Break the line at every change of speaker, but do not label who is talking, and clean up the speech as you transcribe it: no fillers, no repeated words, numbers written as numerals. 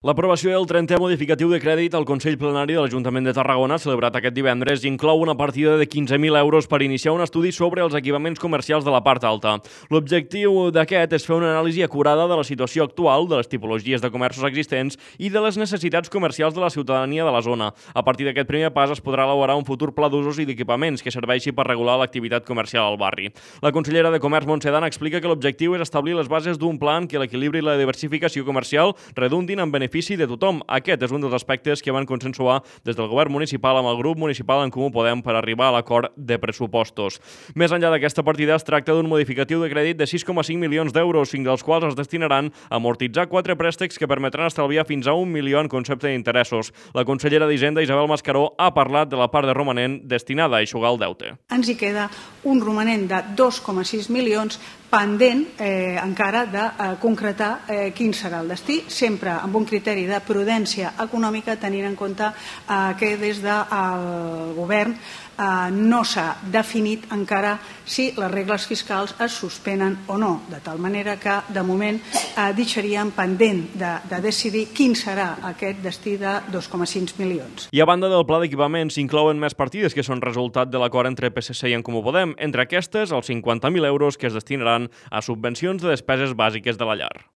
L'aprovació del 30è modificatiu de crèdit al Consell Plenari de l'Ajuntament de Tarragona, celebrat aquest divendres, inclou una partida de 15.000 euros per iniciar un estudi sobre els equipaments comercials de la part alta. L'objectiu d'aquest és fer una anàlisi acurada de la situació actual, de les tipologies de comerços existents i de les necessitats comercials de la ciutadania de la zona. A partir d'aquest primer pas es podrà elaborar un futur pla d'usos i d'equipaments que serveixi per regular l'activitat comercial al barri. La consellera de Comerç, Montse Dan, explica que l'objectiu és establir les bases d'un pla en què l'equilibri i la diversificació comercial redundin en benefici de tothom. Aquest és un dels aspectes que van consensuar des del govern municipal amb el grup municipal En Comú Podem per arribar a l'acord de pressupostos. Més enllà d'aquesta partida, es tracta d'un modificatiu de crèdit de 6,5 milions d'euros, 5 dels quals es destinaran a amortitzar 4 préstecs que permetran estalviar fins a 1 milió en concepte d'interessos. La consellera d'Hisenda, Isabel Mascaró, ha parlat de la part de romanent destinada a eixugar el deute.
Ens hi queda un romanent de 2,6 milions pendent encara de concretar quin serà el destí, sempre amb un criteri de prudència econòmica, tenint en compte que des del govern no s'ha definit encara si les regles fiscals es suspenen o no, de tal manera que de moment deixaríem pendent de decidir quin serà aquest destí de 2,5 milions.
I a banda del pla d'equipaments s'inclouen més partides que són resultat de l'acord entre PSC i En Comú Podem, entre aquestes els 50.000 euros que es destinaran a subvencions de despeses bàsiques de la llar.